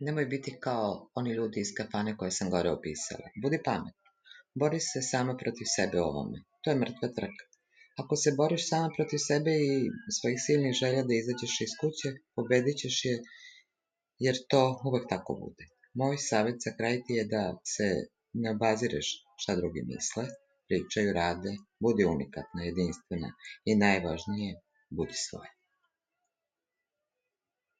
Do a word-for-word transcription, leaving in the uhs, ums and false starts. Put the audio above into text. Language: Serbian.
Nemoj biti kao oni ljudi iz kafane koje sam gore opisala. Budi pametna. Bori se sama protiv sebe u ovome. To je mrtva trka. Ako se boriš sama protiv sebe i svojih silnih želja da izađeš iz kuće, pobedit ćeš je, jer to uvek tako bude. Moj savjet za kraj ti je da se ne obazireš šta drugi misle, pričaju, rade, budi unikatna, jedinstvena i najvažnije, budi svoja.